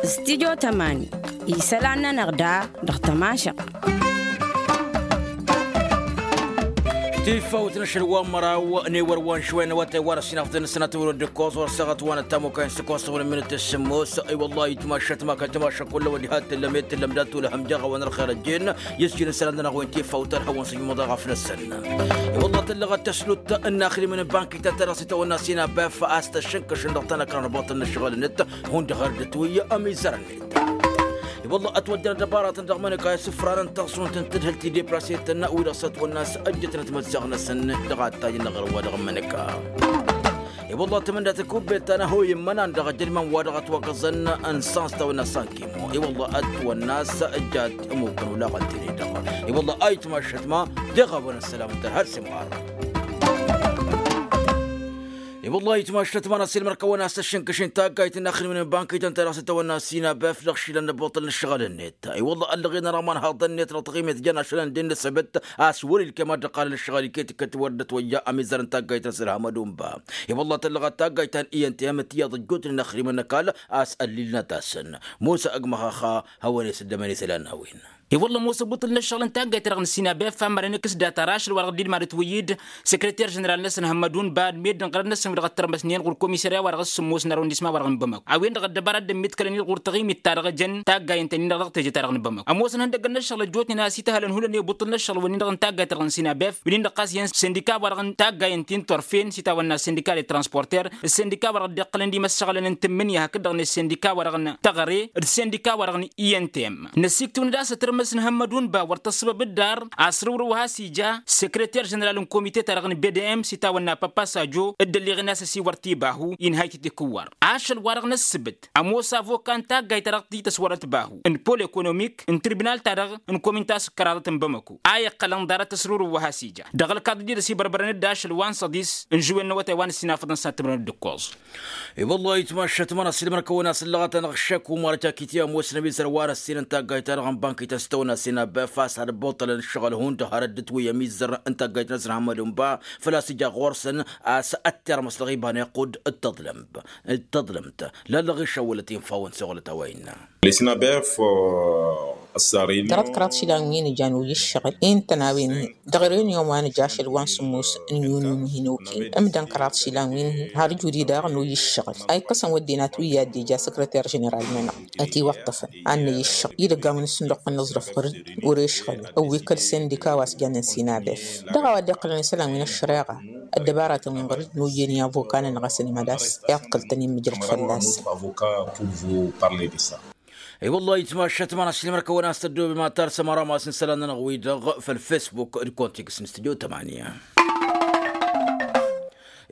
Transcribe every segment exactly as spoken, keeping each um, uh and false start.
Studyo tămani isălan-nănăɣ da dăɣ-tămašăɣt. Tifawt n-ašăl wa n-măraw n-ewăr wa n-išwăyăn wa tăywa n-ăsinafḍăn n-sănatăwăr d-ǝkkoẓ wăr săɣăt wa n-ăttamukăyăn s-ǝkkoẓ tăwăr n-minut s-sǝmmos. I-wăllah itmašăt ma kăl-tmašăt kull-wăd iha t-tǝllăm i-t-tǝllăm dat-tulăhăm jeɣ a-wa n-ărxer ăjjeen. Yǝsjǝn isălan-nănăɣ wen tifawt ărhăwăn s-ijmăḍ eɣăf-năsăn. I-wăllah tăllăɣăt tăslut n-inaxrimen n-bankit ta-dăɣ s-itawănna sinabef a-s tăššǝnkăšăn dăɣ-tanăkra n-abaṭăl n-ǝššăɣǝl-net. Hundăɣ har dd-tǝwǝyya ămizăr-net. I-wălla ătwăjjăn ăddăbaratăn dăɣ-imănăka isǝfrarăn taẓẓunt n-tadhǝlt i-deplasetăn wi-dăɣ s-ătwănna a-s ăjjătnăt măsseɣ-năsăn dăɣ-ad-tajjăn dăɣ-ɣărwa dăɣ-imănăka. I-wălla tămăndat n-kubbet ta n-ahoy n-imănan dăɣ-ajădmăn wa dăɣ-ătwăkăẓăn n-săns tawănna sankimo i-wălla ătwănna a-s ăjjat ămukăn olaɣăn tene-dăɣ. I-wălla a itmašăt ma deɣ a-wen ăssălam n-tărha d-simɣar. I-wălla itmašăt ma n-asǝlmăr kăwăn-as tăššǝnkăšin taggayt n-inaxrǝmăn n-bankităn ta dăɣ-s tăwănna sinabef dăɣ-išilan n-ăbbuṭăl n-ǝššăɣǝl-net. I-wălla ăllăɣen ăra ma n-haḍăn-net dăɣ-taɣimet jăn ašălăn d-innă s-ebăt a-s wăr-ilkem ad-dd-ăqqalăn ǝššăɣǝl iket iket wăr dd-ătwăyya ămizăr n-taggayt n-asǝlham ad-unba. I-wălla tăllăɣăt taggayt ta n-i n t-em d-tiyyăḍ ăjjootnen inaxrǝmăn n-ăkall a-s ăllilnăt-asăn. Musa ăgg măxaxa hawăn-e-s dd-ămăne isălan n-a-wen. I-wălla ămoos ăbbuṭǝl n-ăššăɣǝl n-taggayt-ta-dăɣ n-sinabef a mărăn ǝkkǝs data rašăl wa dăɣ-dd-ilmad ătwăyyǝd. Săkrăter ženeral-năsăn hămmădun ba d-meddǝn ɣărăt-năsăn wi dăɣ-ăttărmăsnen ɣur-komisarya wa dăɣ-s sǝmmos n-arrondisma wa dăɣ-n bămăk a-wen-dăɣ ăddăbara a dd-ămmiḍkălăn-dd ɣur-taɣimit-ta-dăɣ jăn taggayen-tăn-in-dăɣ dăɣ-teje-ta-dăɣ n-bămăk. Ămoosăn ihăndăggăn n-ăššăɣǝl ăjjootnen a-s ităhălăn hullan i-ăbbuṭǝl n-ăššăɣǝl-wen-in-dăɣ n-taggayt-ta-dăɣ n-sinabef wi-nin-dăɣ ɣas iyyăn sindika wa dăɣ-n taggayen ti n-turfen s-itawănna sindika de transporter. Ǝssendika wa dăɣ-dd-iqqălăn d-imăssaɣălăn n-tǝmmǝnǝya hakd-dăɣ n-ăssendika wa dăɣ-n-tăɣăre d-sendika wa dăɣ-n i n t m. Năsiktǝwăn-dd a-s ătărmăs n-hămmădun ba wăr tăssăbăb d-dar a-s rǝwrǝw a has-ija sekreter ženeral n-komite-ta-dăɣ n-b d m s-itawănna păppa sajo dd-ălleɣen a-s ăsiwăr tibahu inha itǝtikǝwwar. Ašăl-wa-dăɣ n-ăssǝbǝt ămoos avoka n-taggayt-ta-dăɣ t-tăswărăt bahu n-pol ekonomik n-tribinal-ta-dăɣ n-komint a-s ǝkkăraḍăt n-bamăko a iqqălăn ḍarăt ăsrurǝw wa has-ija dăɣ-ălkaḍ dd-ăsibărbărăn-dd ašăl wa n-săḍis n-žuwen n-awătay wa n-ăssinafăḍăn s-ad-tǝmrăn d-ǝkkoẓ. I-wăllah itmašat ma n-asǝlmăr-kăwăn a-s ǝllăɣăt-anăɣ ǝššăk umar jakitya ămoosăn ămizăr wa n-ăssin n-taggayt-ta-dăɣ n-bankităn s-tăwănna s-inabef a-s ad-ăbbuṭălăn ǝššăɣǝl hundăɣ har dd-tǝwǝy ămizăr n-taggayt n-asǝnhămmădun ba făl-a-s ija ɣur-săn a-s ăttărmăs dăɣ-iba n-iqqud d-tăḍlămt d-tăḍlămt. Lallăɣ išăwwălăt infa-wăn s-oɣlăt a-wa innă. Tărăt kăraḍ išilan wi n-ijan oyǝššăɣǝl intăn a-wen-hi dăɣ-renion wa n-ija ašăl wa n-sǝmmos n-yunun hin-okil ǝmdăn kăraḍ išilan wi n-hi har ǝjudi daɣ n-oyǝššăɣǝl a ikkăsăn wădden atwǝyya d-ija săkrăter ženeral-nănăɣ. Ătiwăṭṭăfăn ad-năyǝššăɣǝl idăgg a-wen s-nǝlluqqăn n-aẓrǝf ɣăr-dd wăr-ešɣǝl ăwwi kăl-sendika wa s-jannen sinabef dăɣ-a-wa dd-iqqălăn isălan wi n-ăššăreɣa. Ăddăbaratăn wi n-ɣăr-dd n-oyyen i-avoka-nănăɣ a-s ănimăḍas iḍkăl-tăn immǝjrăd fălla-săn. I-wăllah itmašat ma n-asǝlmăr-kăwăn a-s tăddoobem ad-tarsăm ăramas n-isălan-nănăɣ-wi-dăɣ făll-fesbuk d-kontiks n-studyo tămanya.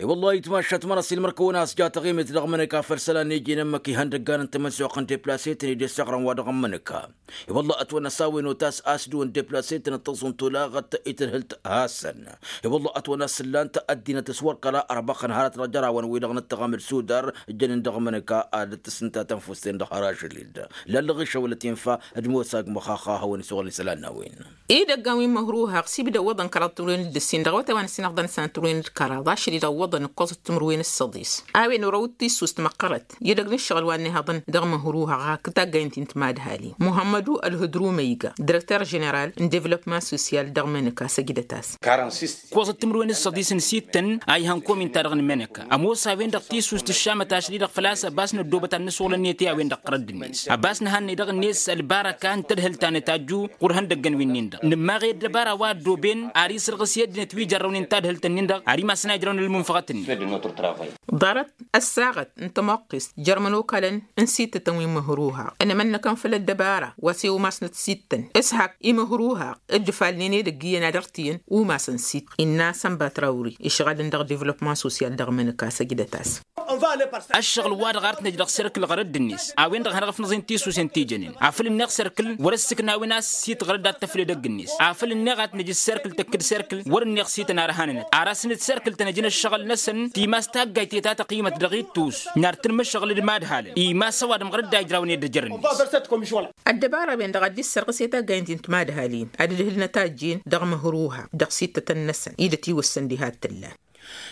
I-wăllah itmašat ma n-asǝlmăr-kăwăn a-s ja taɣimit dăɣ-mănăka făll-isălan n-iji n-ǝmmǝk ihăndăggan n-tamănsuɣt n-deplasetăn i-dd-issăɣrăn wa dăɣ-mănăka. I-wăllah ătwănna s-a-wen otas a-s dăɣ-wăn deplasetăn ǝttăẓun tolaɣăt i-tǝdhǝlt hasăn. I-wăllah ătwănna s-ǝllan-t ăddinăt s-wăr kăla ărbăxăn hărăt dăɣ-jărawăn-wi-dăɣ n-ǝttăɣam d-sudar ǝjjănen dăɣ-mănăka ad-dd-tǝsǝnta tănfust-en-dăɣ har ažăl-dd. Lallăɣ išăwălăt infa d-mosa ăgg măxaxa a hawăn-isăwălăn isălan n-a-wen. Idăggan wi n-măhruhaɣ s-ibda ǝwwăḍăn kăraḍ timǝrwen d-ǝssin dăɣ-awătay wa n-ăssinăɣḍăn s-anăt timǝrwen d-kăraḍ ašăl-i-dăɣ ǝwwăḍăn ǝkkoẓăt timǝrwen s-săḍis. A-wen orăw d-tissust măqqărăt i-dăgg n-ǝššăɣǝl wa n-ehăḍăn dăɣ-măhruhaɣ hakd taggayăn ti n-timadhalin muhămmădu ălhǝdru măyga direkter ženeral n-devlopman sosyal dăɣ-mănăka săjdăt-as. Ǝkkoẓăt timǝrwen s-săḍis n-sittăn a ihăn komin-ta-dăɣ n-mănăka ămoos a-wen-dăɣ tissust ǝššamăt ašăl-i-dăɣ făl-a-s ăbas năddoobăt ad-nǝswălăn-net i-a-wen-dăɣ ɣărădd-net ăbas nǝhannăy dăɣ-net ălbarăka n-tadhǝlt ta nǝtajju ɣur-ihăndăggăn wi-nin-dăɣ nǝmmaɣ i-ăddăbara wa ăddooben ar isǝrɣǝs i-ăddinăt wi jărrăwnen tadhǝlt-nin-dăɣ ar imasăn a ijrăwăn ălmunfăɣăt-nin. Ḍarăt ăssaɣăt n-tămoqqist jer-imănokalăn n-sittătăn wi n-măhruhaɣ ănămănnăkăn făll-ăddăbara wa s-e-umasnăt sittăn s-hak imăhruhaɣ dd-ǝfalnen edăgg iyyăn ad-ăɣtǝyăn umasăn sittăn innă sănba trawri išɣalăn dăɣ-devlopman sosyal dăɣ-mănăka săjdăt-as. Ăššăɣǝl-wa-dăɣ ar t-năj dăɣ-serkǝl ɣărădd-net a-wen-dăɣ hanăɣ-ăfnăẓen tisus i-ǝntijănen afăl ǝnneɣ serkǝl wăr-ăssǝknawăn a-s s-itɣărăd ad-tăfled ăgg-net afăl ǝnneɣ ad-t-năj d-serkǝl tăkk-dd serkǝl wăr-ǝnneɣ s-ităn ar hanănăt ar asǝnǝd serkǝl-tăn ăjăn ǝššăɣǝl-năsăn timas taggayt i-ta tăqimăt dăɣ-ittus nar tǝnmǝššăɣǝl d-imadhalăn imas ăwadǝm ɣărădd a ijrawăn ed ăjrănnet. Ăddăbara-wen-dăɣ ad-dd-issărɣǝs i-taggayăn ti n-timadhalin ad-dd-hǝlnăt a ăjjeen dăɣ-măhruha dăɣ-sittătăn-năsăn i-dăt-iwǝssăn diha t-ǝllan.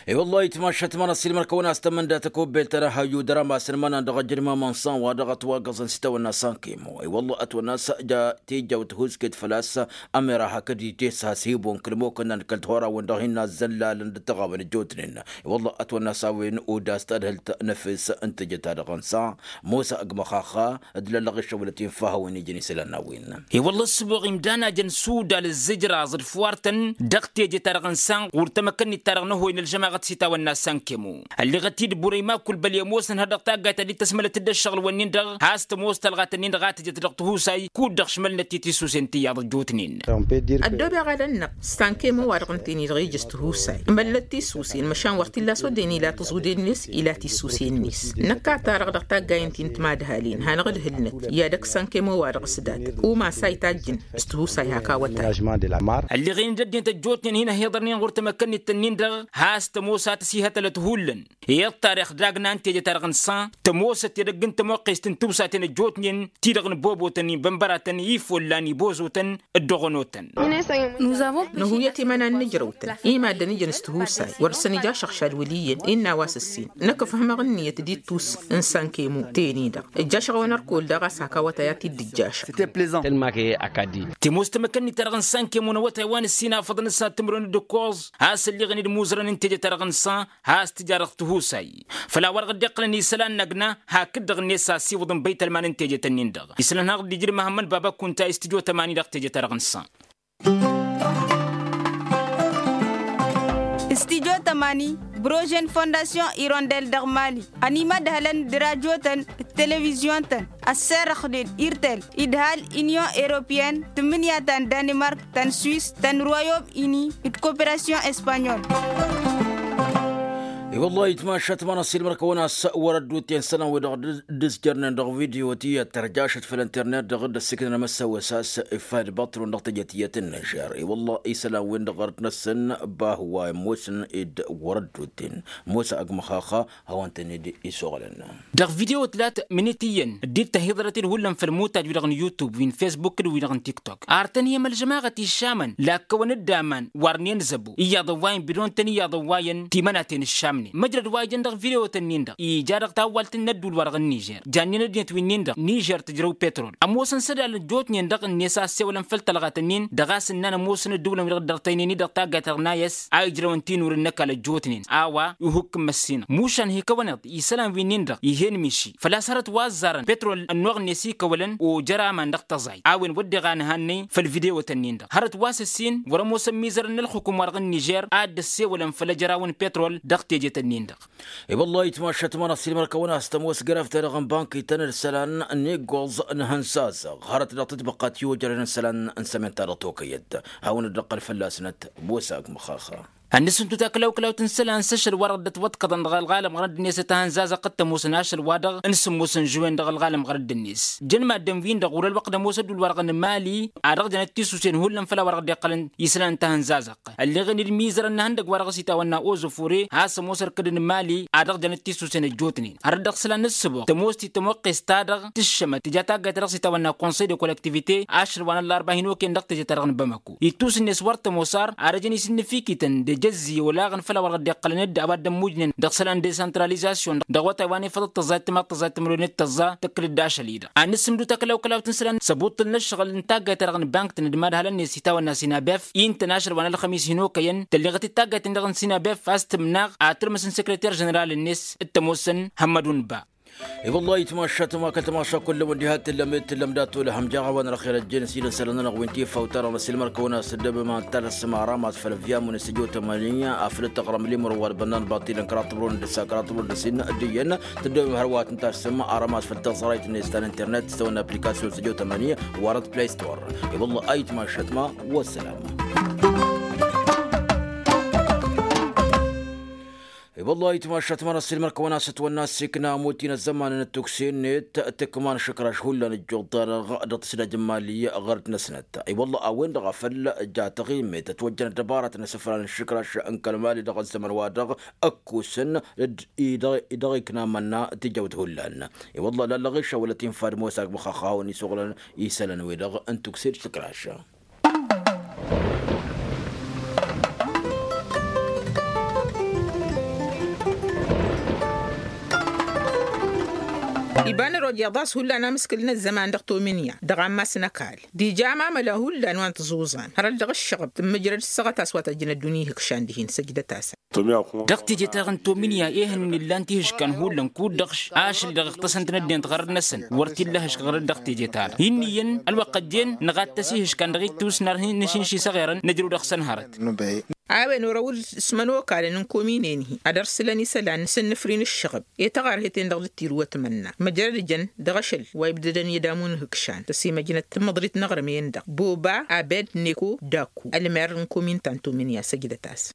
I-wălla-hi tmašat ma n-ăssiilmăr-kăwăn-as tămănda tăkobbelt ta n-ehăyyu dăr-amasăn imănan dăɣ-ejănma mănsan wa dăɣ-ătwagăẓăn s-itawănna sankemo. I-wălla ătwănna-s ja teja wăt-husket făl-a-s ămera hakd-i tesa s-hibon kăl-mokănnan kăl-tihora-wăn dăɣ-hin-nazzăllalăn d-tăɣawăn ăjjootnen. I-wălla ătwănna-s a-wen odas tadhǝlt n-efes n-teje-ta-dăɣ n-sa mosa ăgg măxaxa d-lăllăɣ iššăwălăt infa hawăn-ijăn isălan n-a-wen. I-wălla ăssăbuɣ imdan a jăn sudal ăzzǝjraẓ d-fuwar-tăn dăɣ-teje-ta-dăɣ n-sa ɣur-tamăkănnit-ta-dăɣ n-ăhoy n-ălžămaɣăt s-itawănna sankemo. Ălleɣăt-dd burăy ma kull băli ămoosăn har dăɣ-taggayt ta dd-tăsmălăt-dd ăššăɣǝl-wǝnnin-dăɣ has-tămoos talɣat-ǝnnin-dăɣ a tǝjăt dăɣ-tihusay kud-dăɣ šmălnăt-i tisusen tiyyăḍ ăjjootnen. Ăddoobeɣ alăn-năɣ sankemo-wa-dăɣ ǝnta-en-i-dăɣ ijǝs tihusay măllăt tisusen măšan wăr t-illa s-oddăyăn ila tǝẓude-net ila tisusen-net. Năkk a-ta-dăɣ dăɣ-taggayen ti n-timadhalin hanăɣ-ǝdhǝlnăt i-ad-ăkk sankemo-wa-dăɣ s-dat umas a itajjǝn s-tihusay hak awătay. Ălleɣen-dd ăddinăt ăjjootnen hin-ăhiḍărnen ɣur-tamăkkănnit-tăn-in-dăɣ has-tămoos a tăsihătălăt hullan. Iyyăḍ tarix dagna n-teje-ta-dăɣ n-san tămoosăt edăgg n-tămoqqest n-tiwsaten ăjjootnen ti-dăɣ n-bobotăn ibănbăratăn ifollan ibozotăn dd-oɣănotăn. Nǝhuyăt imănan n-ǝjrăwtăn i-maddǝn ijăn s-tihusay wăr-săn ija šăɣšad wăl' iyyăn innă a-wa s-ǝssin năkk ǝfhǝmăɣ ǝnniyăt d-ittus n-sankemo teni-dăɣ ǝjjašăɣ-wăn ărkol daɣ a-s hak awătay a t-dd-ǝjjašăɣ. Tălmak e akadi. Timoos tamăkănnit-ta-dăɣ n-sankemo n-awătay wa n-ǝssin afăḍăn s-ad-tǝmrǝwăn d-ǝkkoẓ has-ălliɣăn-dd imuzărăn n-teje-ta-dăɣ n-san has-tǝja dăɣ-tihusay făl-a-wa-dăɣ dd-iqqălăn isălan n-agna hakd-dăɣ-net a ăsiwǝḍăn băytălman n-teje-tăn-in-dăɣ. Isălan hanăɣ-dd-ijrǝm ahămmăn baba kunta i-s tǝjo tămani dăɣ-teje-ta-dăɣ n-san. Stijo tămani brožen fondasyon irondel dăɣ-mali ănimădhălăn d-rajotăn d-televizyon-tăn ăsserăxnen irtel idhal inyon europeyăn tǝmmǝnǝya ta n-danimark ta n-swis ta n-royom ini d-koperasyon espanyol. I-wăllah itmašat ma n-ăssiilmăr-kăwăn-as wăr-ădduut i-isălan-wi-dăɣ d-ǝzjărnen dăɣ-video tiyyăt tărjašăt făll-internet dăɣ-dd-ăssiknăn amăssewăs a-s iffayăd băṭṭrun dăɣ-teje tiyyăt n-nižer. I-wăllah isălan-wi-dăɣ ɣărăt-năsăn bah wa ămoosăn-dd wăr-ădduut-in mosa ăgg măxaxa hawăn-tăn-dd-isuɣǝlăn. Dăɣ-video tǝlat mǝnit iyyăn dd-tăhiḍărăt-dd hullan făll-imutaj-wi-dăɣ n-yutub wi n-fesbuk d-wi-dăɣ n-tiktok. Artăn-hi ămălžămaɣăt išamăn lakkăwăn-dd aman wăr n-enǝzăbo iyyăḍ ăwwayăn bidon-tăn iyyăḍ ăwwayăn timănaten ǝššamnen măjrăd wa ijăn dăɣ-video-tăn-in-dăɣ ija dăɣ-tawwalt n-ădduul-wa-dăɣ n-nižer. Jannen ăddinăt wi-nin-dăɣ nižer tǝjrăw petrol ămoosăn s-ădal ăjjootnen-dăɣ-net a ăssewălăn făll-tălɣat-nin-dăɣ a-s ǝnnan ămoosăn ăddǝwǝlăn-wi-dăɣ dd-ărtăynen-i dăɣ-taggayt-ta-dăɣ n-ayăs a ijrăwăn tinurǝn n-ăkall ăjjootnen. A-wa ihukk n-măssinăɣ mušan hi-kăwăn-iḍ isălan wi-nin-dăɣ ih'-en miši făl-a-s hărăt wa ăzzarăn petrol ănnuɣ-net ikăwălăn ojăr aman dăɣ-tăẓayt a-wen wădden a nǝhannăy făll-video-tăn-in-dăɣ hărăt wa s-ǝssin wăr-ămoosăn imizărăn n-ălxukum-wa-dăɣ n-nižer a dd-ăssewălăn făll-ejăraw n-petrol dăɣ-teje-tăn-in-dăɣ. I-wăllah itmašat ma n-ăssiilmăr-kăwăn-as tămoos grăf-ta-dăɣ n-bank-ităn d-isălan n-iggoẓ n-ihănzazăɣ hărăt dăɣ-tǝtbăqqat i-ojărăn isălan n-sămenta dăɣ-tokăyăt hawăn-dd-ăqqăl fălla-snăt. Bosa ăgg măxaxa. Ad-nǝsǝntu takălawkălawt n-isălan s-ašăl-wa-dăɣ dd-ătwăḍkăḍăn dăɣ-ălɣalăm ɣărăt-net ad-t-ihănzazăɣ tămoosăn ašăl-wa-dăɣ n-sǝmmos n-žuwen dăɣ-ălɣalăm ɣărăt-net. Jăn maddǝn-win-dăɣ wăr-ălwăqq d-ămoos ădduul-wa-dăɣ n-mali ad-dăɣ-jănăt tisusen hullan făll-a-wa dăɣ-dd-iqqălăn isălan n-tahănzazăɣt. Ălleɣen-dd imizărăn n-ehăndăgg wa dăɣ-s itawănna ozofore a-s ămoos ărkǝd n-mali ad-dăɣ-jănăt tisusen ăjjootnen hărăt dăɣ-isălan n-ǝssǝboɣ tămoos ti tămoqqes-ta-dăɣ tǝššămăt tǝja taggayt ta dăɣ-s itawănna konsăy de kollektivite ašăl wa n-ăllarba hin-okăyăn dăɣ-teje-ta-dăɣ n-bamăko ittus-net wăr tămoos ar ad-ăjăn isǝnnǝfikităn d-ejăzzi olaɣăn făll-a-wa dăɣ-dd-iqqălăn-dd ăwadǝm mujnen dăɣ-isălan desăntralizasyon dăɣ-awătay wa n-efăḍăt tăẓẓayt timaḍt tăẓẓayt timrăwnet tăẓẓa tăkkăl-dd ašăl-i-dăɣ ad-nǝssǝmdǝw takălawkălawt n-isălan s-ăbuṭṭǝl n-ăššăɣǝl n-taggayt-ta-dăɣ n-bank-tăn d-imadhalăn-net itawănna sinabef i n-tăn ašăl wa n-ălxămis hin-okăyăn tălleɣăt-dd taggayt-in-dăɣ n-sinabef a-s tǝmnaɣ ad-tǝrmǝs n-sekreter ženeral-net d-tămoosăn hămmădun ba. I-wăllah itmašat ma kăl-tamaša kull-wăn diha t-tǝllăm d-tǝllăm dat-olăhăm jaɣ a-wa n-ărxer ăjjeen s-idăn isălan-nănăɣ wi n-tifawt-ta-dăɣ n-ăsilmăr-kăwăn-as tăddobem ad-tasǝm aram a-s făll-ăvyamun s-tǝjot ămani afăl d-taɣrăm limăr wa d-bănnan baṭilăn kăraḍ timrăwăn d-ǝssa kăraḍ timrăwăn d-ǝssin d-iyyăn tăddobem hărwa ad-tǝn-tasǝm aram a-s făll-taẓrayt-net ta n-internet s-tăwănna aplikasyon s-tǝjot ămani wa răt play store. I-wăllah a itmašat ma. Wăssălam. I-wăllah itmašat ma n-ăsilmăr-kăwăn-as ătwănna ăssiikna amut-in ăzzăman n-ăttukse-net tǝkman šǝkraš hullan ǝjjuḍ-ta-dăɣ dăɣ-tǝsdaj n-imali ɣărăt-năsnăt. I-wăllah a-wen-dăɣ a făl ja taɣimmet ătwăjjăn ăddăbaratăn asǝfran n-išǝkraš n-kăl-imali dăɣ-ăzzăman-wa-dăɣ ăkkusăn d-i-dăɣ-ikna mănna tijăwt hullan. I-wăllah lallăɣ išăwălăt infad mosa ăgg măxaxawăn isuɣlăn isălan-wi-dăɣ n-tukse d-išǝkraš. Iba n-ăroj iḍas hullan amǝskǝl n-ăzzăman dăɣ-tomǝnya dăɣ-ammas n-ăkall. Dija amamăla hullan wa n-tǝẓuẓan hărăt dăɣ-ǝššăɣǝb tǝmmǝjrăd ǝssăɣăt a-s wa tăjjăn ăddunya ihǝkšan dihen săjdăt-asăn. Dăɣ-teje-ta-dăɣ n-tomǝnya ehăn n-illan tihǝškan hullan kud-dăɣ ašăl-i-dăɣ iɣtăsăn-tăn ăddinăt ɣărăt-năsăn wăr t-illa ahǝšk ɣărăt dăɣ-teje-ta-dăɣ. Inn'-iyyăn ălwăqq ăjjeen nǝɣattăs ihǝškan dăɣ-ittus n-ar hin-nǝšǝnši s-aɣerăn nǝjrǝw dăɣ-săn hărăt. A-wen orăw s-imănokalăn n-kominen-hi ad-ărsǝlăn isălan n-sǝnnǝfri n-ǝššăɣǝb i-taɣărhet-en-dăɣ dd-tirǝwăt mănna măjrăd ǝjăn dăɣ-ašăl wa ibdădăn i-ădamu n-ihǝkšan tăsimăjnăt tǝmmǝḍrit n-aɣrǝm-en-dăɣ boba abed neko daku ălmer n-komin ta n-tomǝnya săjdăt-as.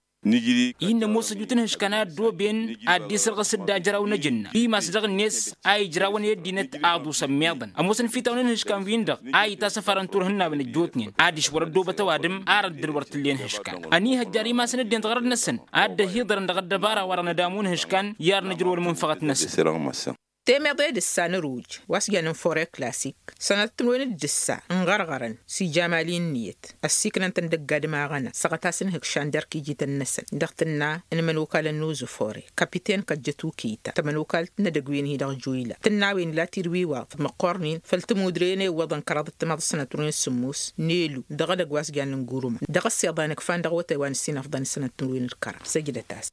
Innă ămoos ăjut n-ihǝškan a ăddooben ad-dd-isǝrɣǝs dd-ajraw n-ajǝnna imas dăɣ-net a ijrawăn i-ăddinăt aḍusăn meḍăn ămoosăn fitawăn n-ihǝškan-win-dăɣ a itasăfarăn turhǝnnawen ăjjootnen ad-išwăr ăddoobăt ăwadǝm ar ăddǝn wăr t-ǝllen ihǝškan. Ăniihăjjar imasăn ăddinăt ɣărăt-năsăn ad-dd-ăhiḍărăn dăɣ-ăddăbara wa-dăɣ n-adamu n-ihǝškan i-ar nǝjrǝw ălmunfăɣăt-năsăn. Temeḍe d-ǝssa n-ăruj wa s-jannen fore klasik sănatăt n-wen d-ǝssa n-ɣărɣărăn s-ijamali n-niyăt ăssiiknăn-tăn dăgg-adǝm aɣăna săɣăt-asăn ihǝkšan d-erk ijităn-năsăn dăɣ-tǝnna n-imănokalăn n-uzu fore kapiten kăjjăt ukita tămănokalt n-edăgg-wen-hi dăɣ-juyla tǝnna a-wen ila tirwiwaḍ măqqornen făll-tămudre n-ewwăḍăn kăraḍăt timaḍ s-sănat n-wen s-sǝmmos n-elu dăɣ-edăgg wa s-jannen gurǝma dăɣ-ăssiḍan ǝkfan dăɣ-awătay wa n-ǝssin afḍăn s-sănat n-wen d-kăraḍ săjdăt-as.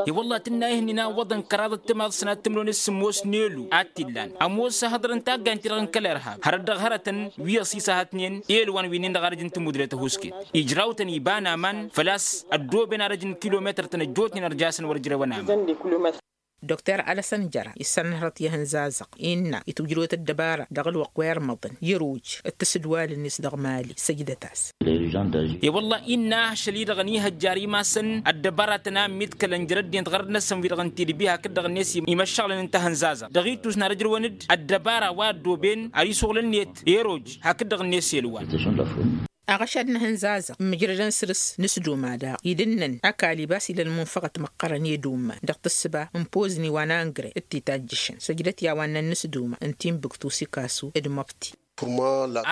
I-wălla tǝnna ihǝnnin a ǝwwăḍăn kăraḍăt timaḍ s-sănat timǝrwen s-sǝmmos n-elu ad-t-illan ămoos ahǝḍrăn taggaynt-ti-dăɣ n-kăl-irhab hărăt dăɣ-hărătăn wi ăṣiṣăhătnen elwan wi-nin-dăɣ arăj n-tămudre tăhuusket ijraw-tăn iba n-aman făl-a-s ăddooben arăj n-kilometăr-tăn ăjjootnen ărjasăn wăr ǝjrewăn aman. Dr alăsăn jăra isănhărăt i-ihǝnzazăɣ innă itwǝjrăwăt ăddăbara dăɣ-ălwăqq wa irmăḍăn i-ăruj d-tisǝdwalăn-net dăɣ-mali săjdăt-as. I-wălla innă ašăl-i-dăɣ ănihăjjar imasăn ăddăbaratăn a ămmiḍkălăn jer-ăddinăt ɣărăt-năsăn wi-dăɣ n-tidbi hakd-dăɣ-net imăššăɣlăn n-tahǝnzazăɣt dăɣ-ittus n-ar ǝjrăwăn-dd ăddăbara wa ăddooben ar isuɣǝl-net i-ăroj hakd-dăɣ-net elwan. Aɣăšad n-ahǝnzazăɣ mǝjrădăn săr-s nǝsduma daɣ idǝnnăn ăkall ibas ila ălmunfăɣăt măqqărăn i-ed umman dăɣ-tǝssǝba n-pozǝni wa n-angre d-titajjǝšăn săjdăt i-a-wa ǝnnăn nǝsduma n-tinbǝktu s-ikasu d-măbti.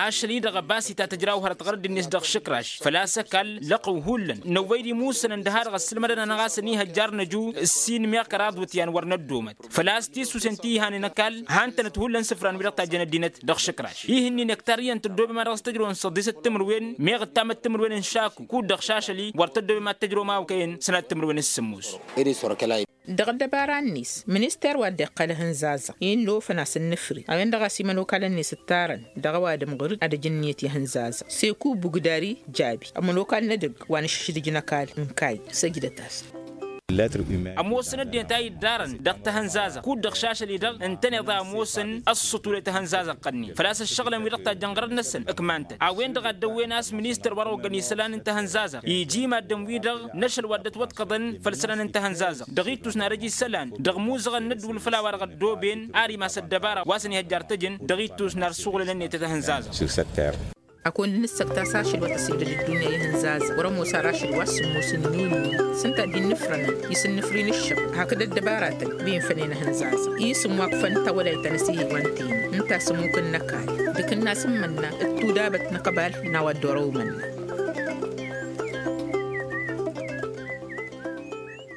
Ašăl-i-dăɣ ăbas itatăjraw hărăt ɣărădd-net dăɣ-išǝkraš făl-a-s ăkall lăqăw hullan năwwăy-dd imusănăn d-ha-dăɣ ăssǝlmădăn-anăɣ a-s ănihăjjar n-ăju ǝssin meɣ kăraḍ iwǝtyan wăr năddomăt făl-a-s tisusen ti ihanen ăkall han-tănăt hullan isǝfran wi-dăɣ tajjăn ăddinăt dăɣ-išǝkraš ihǝnnin ektar iyyăn tăddoobem a dăɣ-s tăjrăwăn săḍisăt timǝrwen meɣ ǝttamăt timǝrwen n-išaku kud-dăɣ šašăl-i wăr tăddoobem ad-tăjrăwăm a okăyăn sănat timǝrwen s-sǝmmos. Dăɣ-ăddăbara-net minister wa dd-iqqăl ihǝnzazăɣ innă ofăn-as ǝnnǝfri a-wen-dăɣ a-s imănokalăn-net ǝttarăn dăɣ-ăwadǝm ɣur-dd ad-ăj ǝnniyăt i-ihǝnzazăɣ seku bugdari jabi ămănokal n-edăgg wa n-išǝšdǝj n-ăkall n-kayy săjdăt-as. Ămoosăn ăddinăt a iddarăn dăɣ-tahǝnzazăɣ kud-dăɣ šašăl-i-dăɣ ǝntăneḍ a ămoosăn ăṣṣutule tahǝnzazăɣ-tăn-in făl-a-s ǝššăɣǝlăn wi-dăɣ tajjăn ɣărăt-năsăn ǝkman-tăn a-wen-dăɣ a dd-ăwwen a-s ministăr wa dăɣ-oggăn isălan n-tahǝnzazăɣ iji maddǝn-wi-dăɣ n-ašăl wa dd-ătwăḍkăḍăn făll-isălan n-tahǝnzazăɣ dăɣ-ittus n-ad-ăj isălan dăɣ-imuzăɣăn n-ăddǝwǝl făll-a-wa-dăɣ ăddooben ar imas ăddăbara wa s-ănihăjjar tăjǝn dăɣ-ittus n-ar suɣǝlăn ǝnniyăt i-tahǝnzazăɣ. Akund n-ǝssăktas ašăl wa tăsidăd ăddunya i-ihǝnzazăɣ wăr-ămoos ar ašăl wa s-sǝmmos n-yuni s-ǝnta a dd-innǝfrănăn isǝnnǝfri n-ǝššăɣ hakd ăddăbaratăn wi ǝnfănen ihǝnzazăɣ i-isǝm wa ǝkfăn tawălayt ta n-asihǝy wa n-teni ǝnta a-s ămmuk n-ăkall d-akǝnnas n-imǝnna d-tudabăt n-aɣbal n-a-wa dd-orăw imǝnna.